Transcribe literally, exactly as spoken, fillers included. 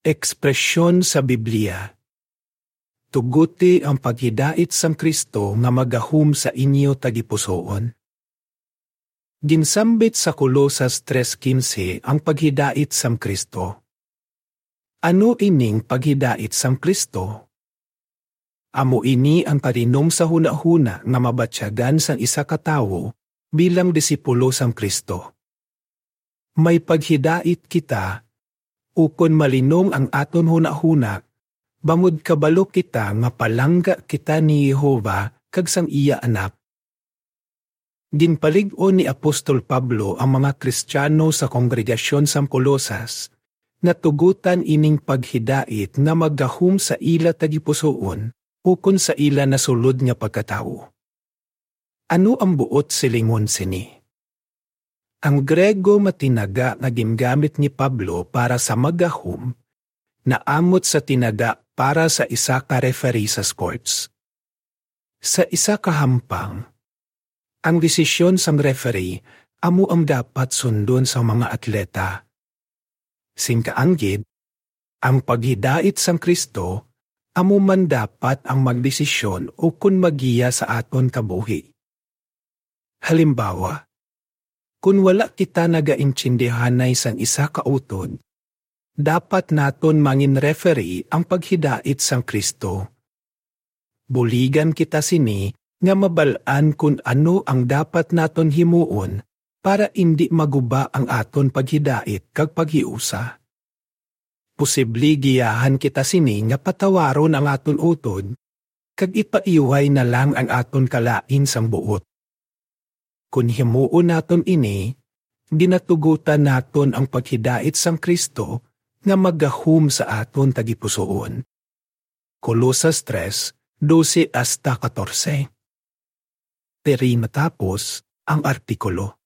Ekspresyon sa Biblia. Tuguti ang paghidait sang Cristo nga magahom sa inyo tagipusoon. Ginsambit sa Colosas tres quince ang paghidait sang Cristo. Ano ining paghidait sang Cristo? Amo ini ang palinom sa hunahuna nga mabatyagan sang isa ka tawo bilang disipulo sang Cristo. May paghidait kita, ukon malinom ang aton hunahuna, bangod kabalo kita nga palangga kita ni Jehovah kag sang iya Anak. Ginpalig-on ni Apostol Pablo ang mga Kristiyano sa kongregasyon sang Colosas nga tugutan ining paghidait nga maggahom sa ila tagipusoon ukon sa ila nasulod nga pagkatawo. Ano ang buot silingon sini? Ang Grego nga tinaga nga gingamit ni Pablo para sa maggahom naamot sa tinaga para sa isa ka referee sa sports. Sa isa ka hampang, ang desisyon sang referee amo ang dapat sundon sang mga atleta. Sing kaanggid, ang paghidait sang Cristo amo man dapat ang magdesisyon ukon maggiya sa aton kabuhi. Halimbawa, kon wala kita nagaintindihanay sang isa ka utod, dapat naton mangin-referee ang paghidait sang Cristo. Buligan kita sini nga mabal-an kon ano ang dapat naton himuon para indi maguba ang aton paghidait kag paghiusa. Posible giyahan kita sini nga patawaron ang aton utod kag ipaiway na lang ang aton kalain sang buot. Kon himuon naton ini, ginatugutan naton ang paghidait sang Cristo nga maggahom sa aton tagipusoon. Colosas tres, doce hasta catorce. Diri matapos ang artikulo.